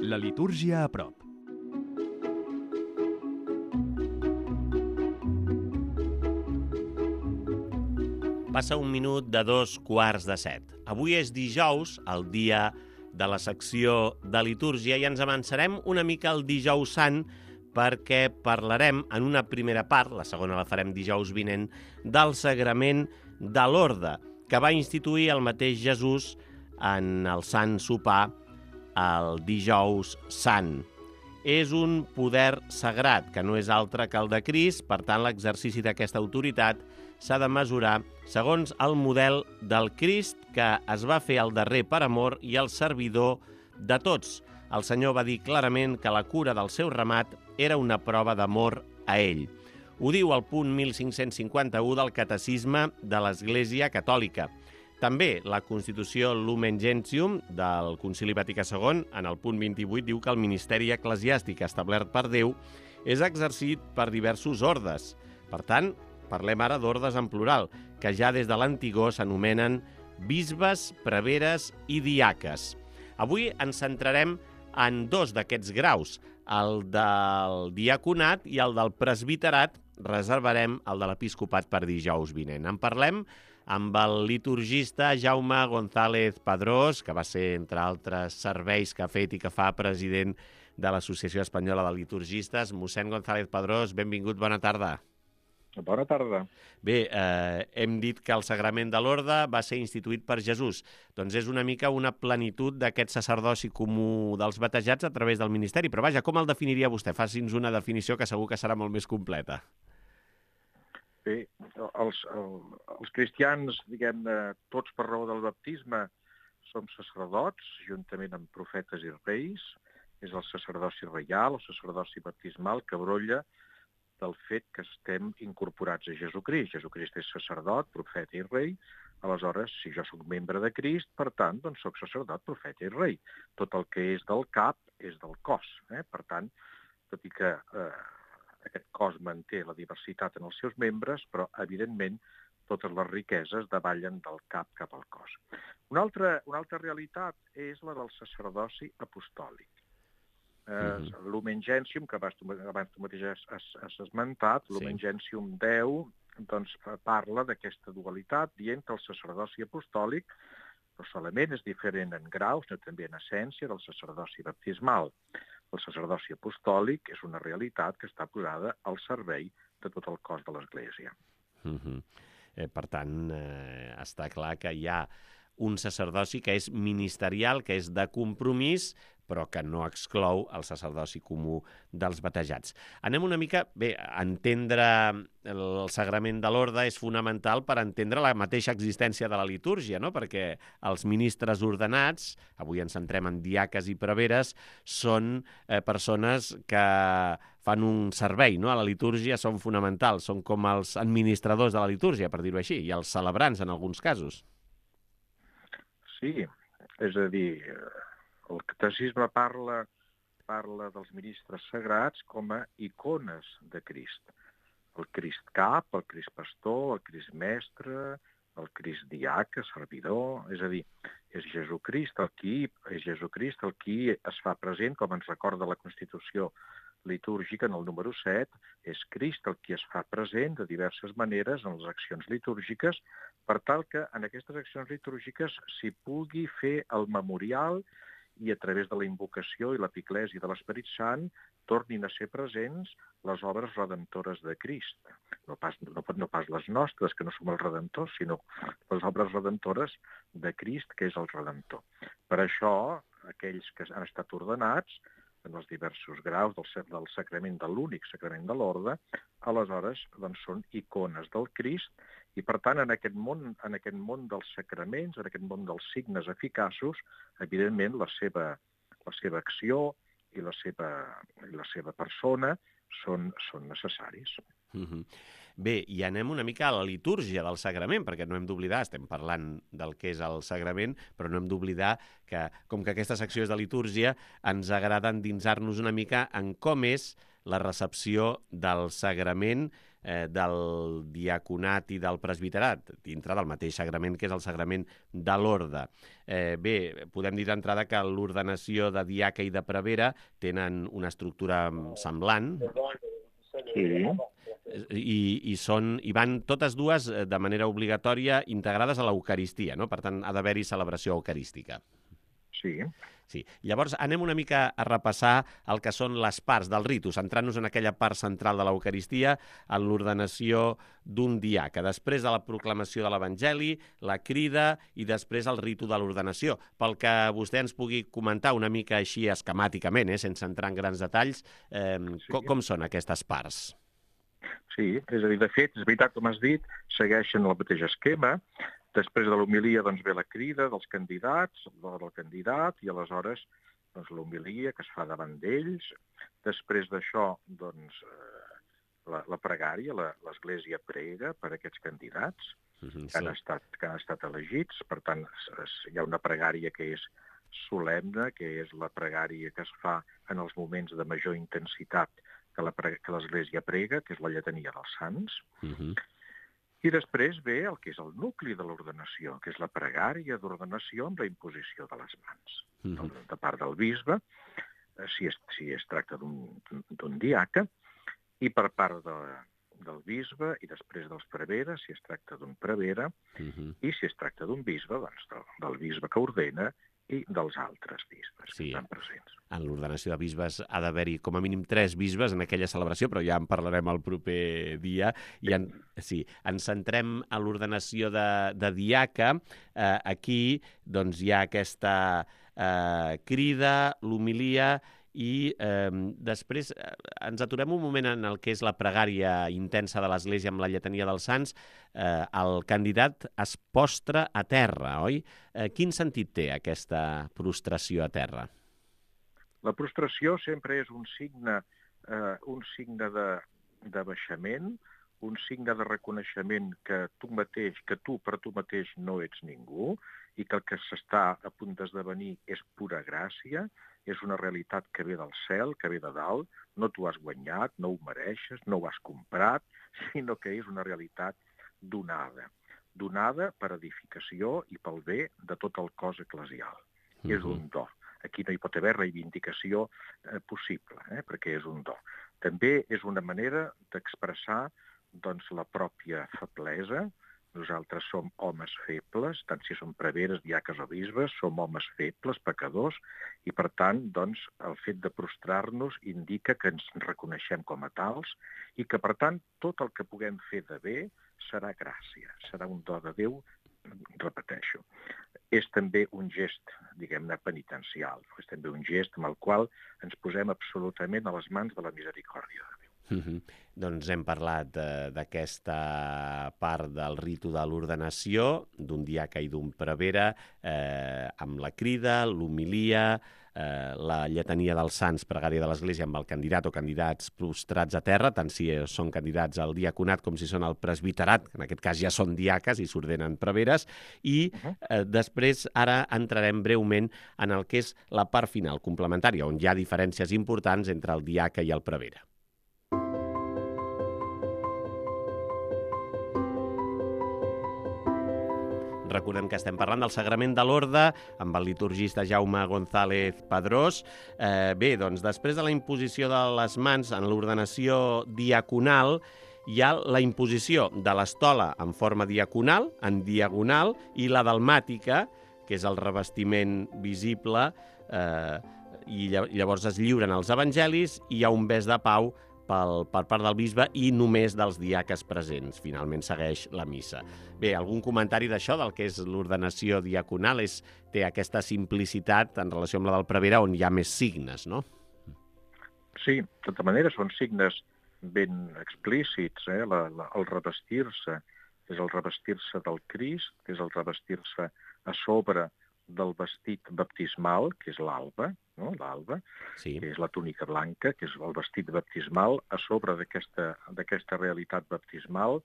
La litúrgia a prop. Passa un minut de 7:15. Avui és dijous, el dia de la secció de litúrgia, i ens avançarem una mica al dijous sant perquè parlarem en una primera part, la segona la farem dijous vinent, del sagrament de l'Orde, que va instituir el mateix Jesús en el Sant Sopar el dijous sant. És un poder sagrat, que no és altre que el de Crist, per tant l'exercici d'aquesta autoritat s'ha de mesurar segons el model del Crist, que es va fer el darrer per amor i el servidor de tots. El Senyor va dir clarament que la cura del seu ramat era una prova d'amor a ell. Ho diu el punt 1551 del Catecisme de l'Església Catòlica. També la Constitució Lumen Gentium del Concili Vaticà II, en el punt 28, diu que el ministeri eclesiàstic establert per Déu és exercit per diversos ordes. Per tant, parlem ara d'ordes en plural, que ja des de l'antigor s'anomenen bisbes, preveres i diaques. Avui ens centrarem en dos d'aquests graus, el del diaconat i el del presbiterat. Reservarem el de l'episcopat per dijous vinent. En parlem amb el liturgista Jaume González Padrós, que va ser, entre altres serveis que ha fet i que fa president de l'Associació Espanyola de Liturgistes. Mossèn González Padrós, benvingut, bona tarda. Bona tarda. Bé, hem dit que el sagrament de l'Orde va ser instituït per Jesús. Doncs és una mica una plenitud d'aquest sacerdoci comú dels batejats a través del ministeri. Però vaja, com el definiria vostè? Faci'ns una definició que segur que serà molt més completa. Bé, els cristians, diguem-ne, tots per raó del baptisme, som sacerdots, juntament amb profetes i reis. És el sacerdoci reial, el sacerdoci baptismal, que brolla del fet que estem incorporats a Jesucrist. Jesucrist és sacerdot, profeta i rei. Aleshores, si jo sóc membre de Crist, per tant, doncs sóc sacerdot, profeta i rei. Tot el que és del cap és del cos. Per tant, tot i que aquest cos manté la diversitat en els seus membres, però, evidentment, totes les riqueses davallen del cap al cos. Una altra realitat és la del sacerdoci apostòlic. Lumen Gentium, que abans tu mateix has esmentat, Lumen Gentium 10, doncs parla d'aquesta dualitat, dient que el sacerdoci apostòlic no solament és diferent en grau, sinó també en essència del sacerdoci baptismal. El sacerdoci apostòlic és una realitat que està posada al servei de tot el cos de l'Església. Per tant, està clar que hi ha un sacerdoci que és ministerial, que és de compromís, però que no exclou el sacerdoci comú dels batejats. Anem una mica... Bé, entendre el sagrament de l'orde és fonamental per entendre la mateixa existència de la litúrgia, no? Perquè els ministres ordenats, avui ens centrem en diaques i preveres, són persones que fan un servei, no? A la litúrgia són fonamentals, són com els administradors de la litúrgia, per dir-ho així, i els celebrants en alguns casos. Sí, és a dir, el catecisme parla dels ministres sagrats com a icones de Crist. El Crist cap, el Crist pastor, el Crist mestre, el Crist diaca, servidor, és a dir, és Jesucrist el qui es fa present, com ens recorda la Constitució litúrgica en el número 7, és Crist el qui es fa present de diverses maneres en les accions litúrgiques, per tal que en aquestes accions litúrgiques s'hi pugui fer el memorial i a través de la invocació i l'epiclesi de l'Esperit Sant tornin a ser presents les obres redemptores de Crist. No pas les nostres, que no som els redemptors, sinó les obres redemptores de Crist, que és el Redemptor. Per això, aquells que han estat ordenats en els diversos graus del sacrament de l'únic sacrament de l'orde, aleshores doncs, són icones del Crist i, per tant, en aquest món dels sacraments, en aquest món dels signes eficaços, evidentment la seva acció i la seva persona són necessaris. Bé, i anem una mica a la litúrgia del sagrament, perquè no hem d'oblidar, estem parlant del que és el sagrament, però no hem d'oblidar que, com que aquesta secció és de litúrgia, ens agrada endinsar-nos una mica en com és la recepció del sagrament del diaconat i del presbiterat, dintre del mateix sagrament que és el sagrament de l'orde. Bé, podem dir d'entrada que l'ordenació de diaca i de prevere tenen una estructura semblant, i van totes dues de manera obligatòria integrades a l'Eucaristia, no? Per tant, ha d'haver-hi celebració eucarística. Sí. Llavors, anem una mica a repassar el que són les parts del ritu, centrant-nos en aquella part central de l'Eucaristia, en l'ordenació d'un diaca. Després de la proclamació de l'Evangeli, la crida i després el ritu de l'ordenació. Pel que vostè ens pugui comentar una mica així esquemàticament, sense entrar en grans detalls, com són aquestes parts? Sí, és a dir, de fet, és veritat, com has dit, segueixen el mateix esquema. Després de l'homilia doncs, ve la crida dels candidats, del candidat, i aleshores doncs, l'homilia que es fa davant d'ells. Després d'això, doncs, la pregària, l'Església prega per aquests candidats que han estat elegits. Per tant, hi ha una pregària que és solemne, que és la pregària que es fa en els moments de major intensitat que l'Església prega, que és la lletania dels sants. I després ve el que és el nucli de l'ordenació, que és la pregària d'ordenació amb la imposició de les mans. De part del bisbe, si es tracta d'un diaca, i per part del bisbe, i després dels preveres, si es tracta d'un prevere, i si es tracta d'un bisbe, doncs del bisbe que ordena i dels altres bisbes que estan presents. En l'ordenació de bisbes ha d'haver-hi com a mínim 3 bisbes en aquella celebració, però ja en parlarem el proper dia. Ens centrem a l'ordenació de diaca. Aquí doncs, hi ha aquesta crida, l'homilia, i després ens aturem un moment en el que és la pregària intensa de l'Església amb la lletania dels sants. El candidat es postra a terra, oi? Quin sentit té aquesta prostració a terra? La prostració sempre és un signe de baixament, un signe de reconeixement que tu per tu mateix no ets ningú i que el que s'està a punt d'esdevenir és pura gràcia, és una realitat que ve del cel, que ve de dalt, no t'ho has guanyat, no ho mereixes, no ho has comprat, sinó que és una realitat donada per edificació i pel bé de tot el cos eclesial. És un do. Aquí no hi pot haver reivindicació possible, perquè és un do. També és una manera d'expressar doncs, la pròpia feblesa. Nosaltres som homes febles, tant si som preveres, diaques o bisbes, som homes febles, pecadors, i per tant, doncs, el fet de prostrar-nos indica que ens reconeixem com a tals i que, per tant, tot el que puguem fer de bé serà gràcia, serà un do de Déu, repeteixo. És també un gest, diguem-ne, penitencial. És també un gest amb el qual ens posem absolutament a les mans de la misericòrdia de Déu. Doncs hem parlat d'aquesta part del ritu de l'ordenació, d'un diaca i d'un prevere, amb la crida, l'homilia, la lletania dels sants, pregària de l'Església amb el candidat o candidats prostrats a terra, tant si són candidats al diaconat com si són al presbiterat, que en aquest cas ja són diaques i s'ordenen preveres, i després ara entrarem breument en el que és la part final complementària, on hi ha diferències importants entre el diaca i el prevere. Recordem que estem parlant del sagrament de l'orde amb el liturgista Jaume González Padrós. Bé, doncs, després de la imposició de les mans en l'ordenació diaconal, hi ha la imposició de l'estola en forma diaconal, en diagonal, i la dalmàtica, que és el revestiment visible, i llavors es lliuren els evangelis i hi ha un bes de pau per part del bisbe i només dels diaques presents. Finalment segueix la missa. Bé, algun comentari d'això, del que és l'ordenació diaconal? Té aquesta simplicitat en relació amb la del prevere, on hi ha més signes, no? Sí, de tota manera són signes ben explícits. El revestir-se és el revestir-se del Crist, que és el revestir-se a sobre del vestit baptismal, que és l'alba, no? L'alba, que és la túnica blanca, que és el vestit baptismal. A sobre d'aquesta realitat baptismal,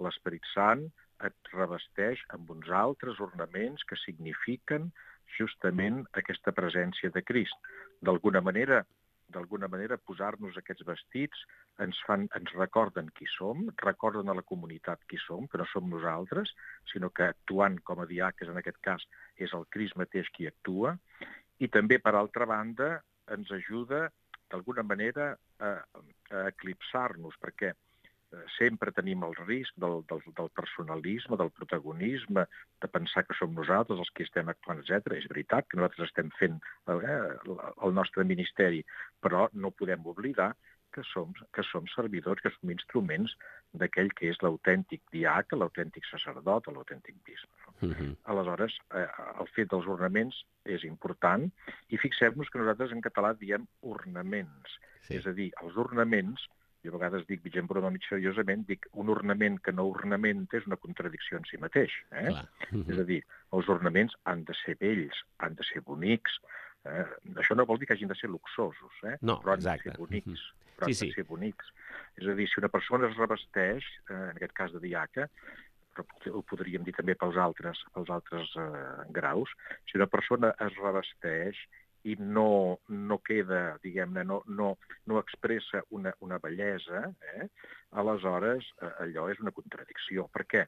l'Esperit Sant et revesteix amb uns altres ornaments que signifiquen justament aquesta presència de Crist. D'alguna manera, d'alguna manera, posar-nos aquests vestits, ens recorden qui som, recorden a la comunitat qui som, que no som nosaltres, sinó que actuant com a diaques, en aquest cas, és el Crist mateix qui actua, i també, per altra banda, ens ajuda, d'alguna manera, a eclipsar-nos, perquè sempre tenim el risc del personalisme, del protagonisme, de pensar que som nosaltres els que estem actuant, etc. És veritat que nosaltres estem fent el nostre ministeri, però no podem oblidar que som servidors, que som instruments d'aquell que és l'autèntic diaca, l'autèntic sacerdot o l'autèntic bisbe. Aleshores, el fet dels ornaments és important, i fixem-nos que nosaltres en català diem ornaments. És a dir, els ornaments, jo a vegades dic, vigent broma mig seriosament, dic un ornament que no ornamenta és una contradicció en si mateix. És a dir, els ornaments han de ser bells, han de ser bonics. Això no vol dir que hagin de ser luxosos, però han de ser bonics. Però han de ser bonics. És a dir, si una persona es revesteix, en aquest cas de diaca, però ho podríem dir també pels altres graus, si una persona es revesteix i no queda, diguem-ne, no expressa una bellesa, aleshores allò és una contradicció. Per què?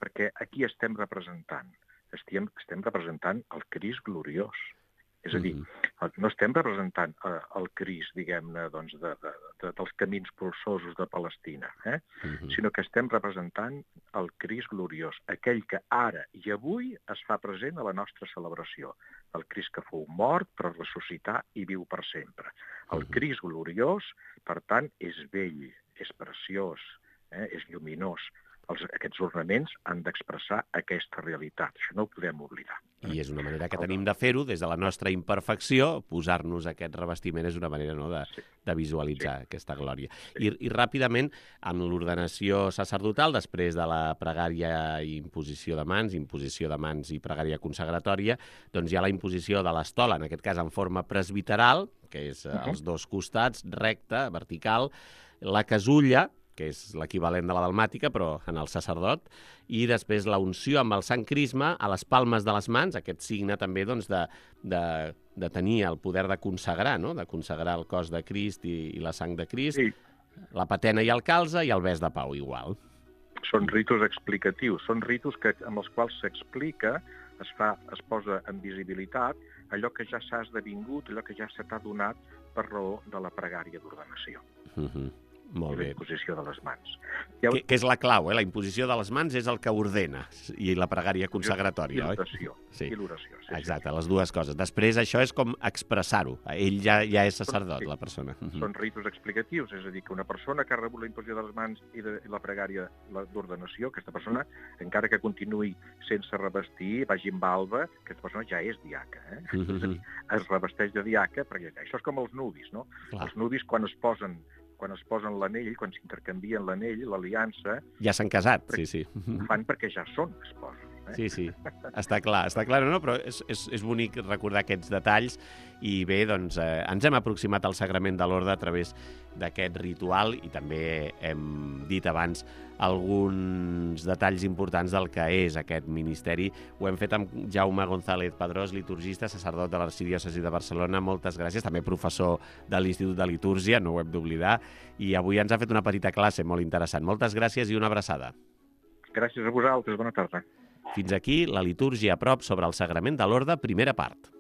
Perquè aquí estem representant el Crist gloriós. És a dir, no estem representant el Crist, diguem-ne, dels camins polsosos de Palestina, sinó que estem representant el Crist gloriós, aquell que ara i avui es fa present a la nostra celebració. El Crist que fou mort, però ressuscitar i viu per sempre. El Crist gloriós, per tant, és bell, és preciós, és lluminós. Aquests ornaments han d'expressar aquesta realitat. Això no ho podem oblidar. I és una manera que tenim de fer-ho, des de la nostra imperfecció, posar-nos aquest revestiment és una manera de visualitzar aquesta glòria. I ràpidament, en l'ordenació sacerdotal, després de la pregària i imposició de mans i pregària consagratòria, doncs hi ha la imposició de l'estola, en aquest cas en forma presbiteral, que és als dos costats, recta, vertical, la casulla, que és l'equivalent de la dalmàtica, però en el sacerdot, i després la unció amb el sant crisma a les palmes de les mans, aquest signe també de tenir el poder de consagrar, de consagrar el cos de Crist i la sang de Crist, la patena i el calze i el bes de pau igual. Són ritus explicatius, són ritus amb els quals s'explica, es posa en visibilitat allò que ja s'ha esdevingut, allò que ja se t'ha donat per raó de la pregària d'ordenació. Molt bé. La imposició de les mans. Que és la clau, la imposició de les mans és el que ordena, i la pregària consagratòria, oi? I l'oració. Exacte, les dues coses. Després això és com expressar-ho. Ell ja és sacerdot, la persona. Són ritus explicatius, és a dir, que una persona que ha rebut la imposició de les mans i la pregària d'ordenació, aquesta persona, encara que continuï sense revestir, vagi amb alba, aquesta persona ja és diaca. És a dir, es revesteix de diaca, perquè això és com els nudis, no? Els nudis, quan es posen l'anell, quan s'intercanvien l'anell, l'aliança... Ja s'han casat, sí. Ho fan perquè ja són esposos. Sí, està clar, no? Però és bonic recordar aquests detalls i bé, doncs ens hem aproximat al sagrament de l'orde a través d'aquest ritual i també hem dit abans alguns detalls importants del que és aquest ministeri. Ho hem fet amb Jaume González Padrós, liturgista, sacerdot de l'Arxidiòcesi de Barcelona. Moltes gràcies, també professor de l'Institut de Litúrgia, no ho hem d'oblidar, i avui ens ha fet una petita classe molt interessant. Moltes gràcies i una abraçada. Gràcies a vosaltres, bona tarda. Fins aquí la litúrgia a prop sobre el sagrament de l'orde, primera part.